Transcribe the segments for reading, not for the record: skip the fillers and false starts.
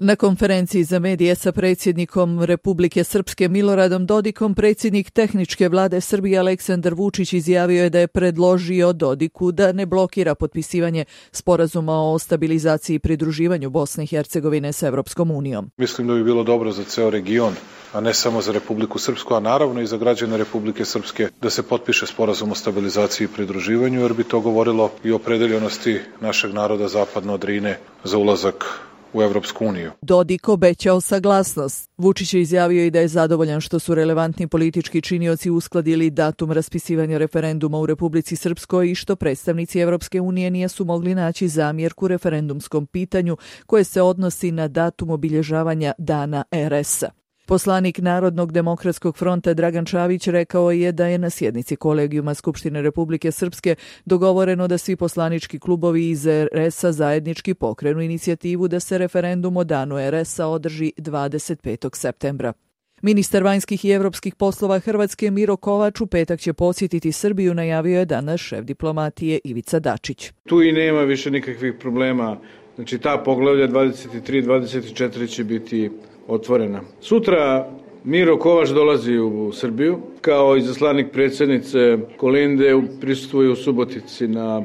Na konferenciji za medije sa predsjednikom Republike Srpske Miloradom Dodikom, predsjednik tehničke vlade Srbije Aleksandar Vučić izjavio je da je predložio Dodiku da ne blokira potpisivanje sporazuma o stabilizaciji i pridruživanju Bosne i Hercegovine s Evropskom unijom. Mislim da bi bilo dobro za ceo region, a ne samo za Republiku Srpsku, a naravno i za građane Republike Srpske, da se potpiše sporazum o stabilizaciji i pridruživanju, jer bi to govorilo i o opredeljenosti našeg naroda zapadno od Drine za ulazak u Evropsku uniju. Dodik obećao saglasnost. Vučić je izjavio i da je zadovoljan što su relevantni politički činioci uskladili datum raspisivanja referenduma u Republici Srpskoj i što predstavnici Evropske unije nisu mogli naći zamjerku referendumskom pitanju koje se odnosi na datum obilježavanja Dana RS-a. Poslanik Narodnog demokratskog fronta Dragan Čavić rekao je da je na sjednici Kolegijuma Skupštine Republike Srpske dogovoreno da svi poslanički klubovi iz RS-a zajednički pokrenu inicijativu da se referendum o Danu RS-a održi 25. septembra. Ministar vanjskih i evropskih poslova Hrvatske Miro Kovač u petak će posjetiti Srbiju, najavio je danas šef diplomatije Ivica Dačić. Tu i nema više nikakvih problema. Znači ta poglavlja 23 24 će biti otvorena. Sutra Miro Kovač dolazi u Srbiju kao izaslanik predsjednice Kolinde, prisustvuje u Subotici na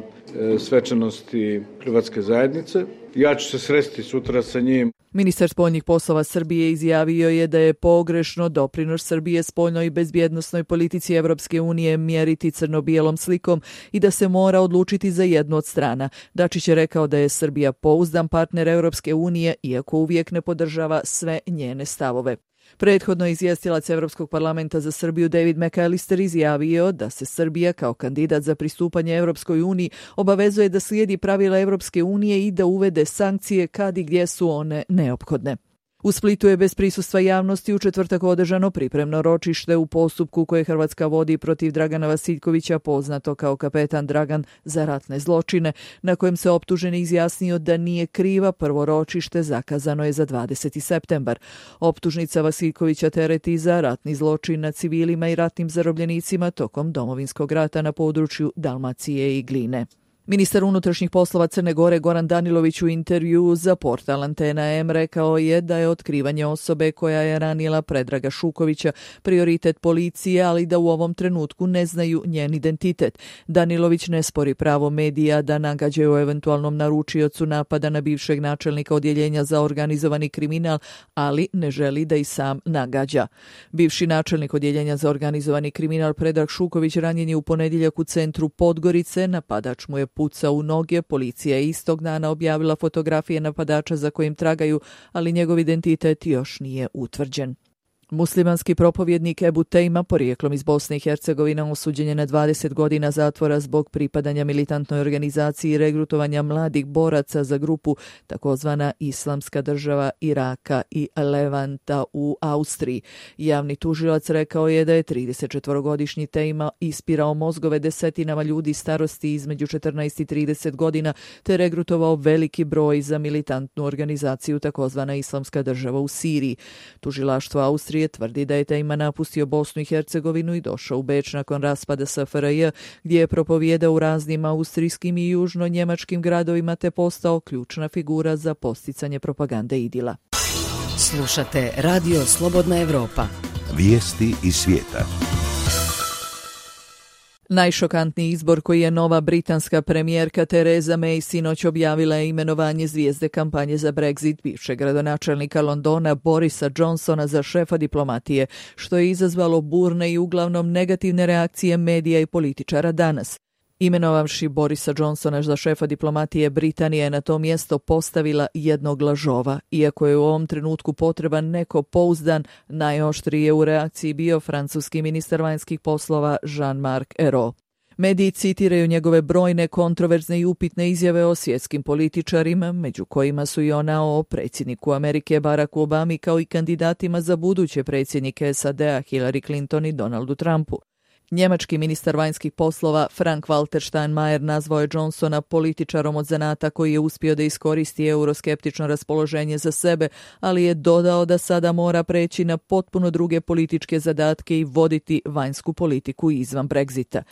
svečanosti Hrvatske zajednice. Ja ću se sresti sutra sa njim. Ministar spoljnih poslova Srbije izjavio je da je pogrešno doprinos Srbije spoljnoj i bezbjednosnoj politici Evropske unije mjeriti crno-bijelom slikom i da se mora odlučiti za jednu od strana. Dačić je rekao da je Srbija pouzdan partner Evropske unije, iako uvijek ne podržava sve njene stavove. Prethodno izvjestilac Evropskog parlamenta za Srbiju David McAllister izjavio da se Srbija kao kandidat za pristupanje Evropskoj uniji obavezuje da slijedi pravila Evropske unije i da uvede sankcije kad i gdje su one neophodne. U Splitu je bez prisustva javnosti u četvrtak održano pripremno ročište u postupku koje Hrvatska vodi protiv Dragana Vasiljkovića, poznato kao kapetan Dragan za ratne zločine, na kojem se optuženi izjasnio da nije kriva. Prvo ročište zakazano je za 20. septembar. Optužnica Vasiljkovića tereti za ratni zločin nad civilima i ratnim zarobljenicima tokom Domovinskog rata na području Dalmacije i Gline. Ministar unutrašnjih poslova Crne Gore Goran Danilović u intervjuu za portal Antena M rekao je da je otkrivanje osobe koja je ranila Predraga Šukovića prioritet policije, ali da u ovom trenutku ne znaju njen identitet. Danilović ne spori pravo medija da nagađaju o eventualnom naručiocu napada na bivšeg načelnika odjeljenja za organizovani kriminal, ali ne želi da i sam nagađa. Bivši načelnik odjeljenja za organizovani kriminal Predrag Šuković ranjen je u ponedjeljak u centru Podgorice, napadač mu je pucao u noge, policija je istog dana objavila fotografije napadača za kojim tragaju, ali njegov identitet još nije utvrđen. Muslimanski propovjednik Ebu Tejma, porijeklom iz Bosne i Hercegovine, osuđen je na 20 godina zatvora zbog pripadanja militantnoj organizaciji i regrutovanja mladih boraca za grupu takozvana Islamska država Iraka i Levanta u Austriji. Javni tužilac rekao je da je 34-godišnji Tejma ispirao mozgove desetinama ljudi starosti između 14 i 30 godina te regrutovao veliki broj za militantnu organizaciju takozvana Islamska država u Siriji. Tužilaštvo Austrije tvrdi da je Tejma napustio Bosnu i Hercegovinu i došao u Beč nakon raspada SFRJ, gdje je propovijedao u raznim austrijskim i južno-njemačkim gradovima te postao ključna figura za posticanje propagande idila. Slušate Radio Slobodna Evropa. Vijesti iz svijeta. Najšokantniji izbor koji je nova britanska premijerka Theresa May sinoć objavila je imenovanje zvijezde kampanje za Brexit, bivšeg gradonačelnika Londona Borisa Johnsona za šefa diplomatije, što je izazvalo burne i uglavnom negativne reakcije medija i političara danas. Imenovavši Borisa Johnsona za šefa diplomatije, Britanija je na to mjesto postavila jednog lažova. Iako je u ovom trenutku potreban neko pouzdan, najoštriji je u reakciji bio francuski ministar vanjskih poslova Jean-Marc Ayrault. Mediji citiraju njegove brojne kontroverzne i upitne izjave o svjetskim političarima, među kojima su i ona o predsjedniku Amerike Baracku Obami kao i kandidatima za buduće predsjednike SAD-a Hillary Clinton i Donaldu Trumpu. Njemački ministar vanjskih poslova Frank-Walter Steinmeier nazvao je Johnsona političarom od zanata koji je uspio da iskoristi euroskeptično raspoloženje za sebe, ali je dodao da sada mora preći na potpuno druge političke zadatke i voditi vanjsku politiku izvan Brexita.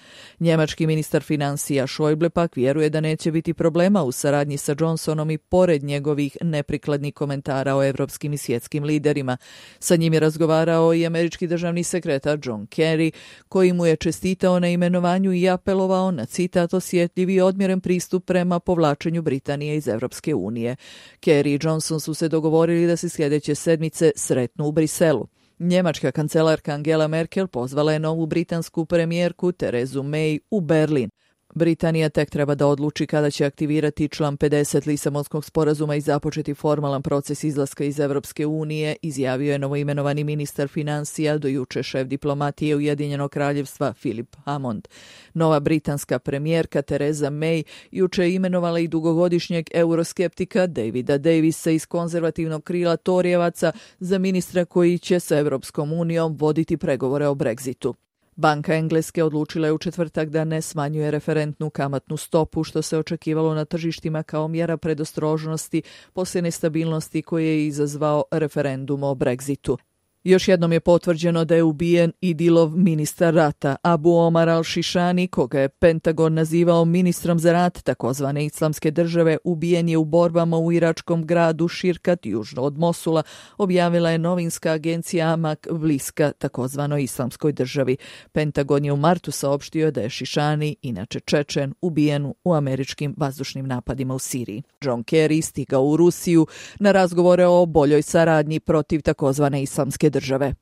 Njemački ministar financija Schäuble pak vjeruje da neće biti problema u saradnji sa Johnsonom i pored njegovih neprikladnih komentara o evropskim i svjetskim liderima. Sa njim je razgovarao i američki državni sekretar John Kerry, koji mu je čestitao na imenovanju i apelovao na, citat, osjetljiv i odmjeren pristup prema povlačenju Britanije iz Evropske unije. Kerry i Johnson su se dogovorili da se sljedeće sedmice sretnu u Briselu. Njemačka kancelarka Angela Merkel pozvala je novu britansku premijerku Terezu May u Berlin. Britanija tek treba da odluči kada će aktivirati član 50 Lisabonskog sporazuma i započeti formalan proces izlaska iz Evropske unije, izjavio je novoimenovani ministar financija, do juče šef diplomatije Ujedinjenog kraljevstva Philip Hammond. Nova britanska premijerka Tereza May juče je imenovala i dugogodišnjeg euroskeptika Davida Davisa iz konzervativnog krila Torijevaca za ministra koji će sa Evropskom unijom voditi pregovore o Brexitu. Banka Engleske odlučila je u četvrtak da ne smanjuje referentnu kamatnu stopu, što se očekivalo na tržištima kao mjera predostrožnosti poslije nestabilnosti koje je izazvao referendum o Brexitu. Još jednom je potvrđeno da je ubijen Idilov ministar rata Abu Omar al-Shishani, koga je Pentagon nazivao ministrom za rat takozvane Islamske države, ubijen je u borbama u iračkom gradu Širkat, južno od Mosula, objavila je novinska agencija Amak, bliska takozvanoj Islamskoj državi. Pentagon je u martu saopštio da je Shishani, inače Čečen, ubijen u američkim vazdušnim napadima u Siriji. John Kerry stigao u Rusiju na razgovore o boljoj saradnji protiv takozvane Islamske države.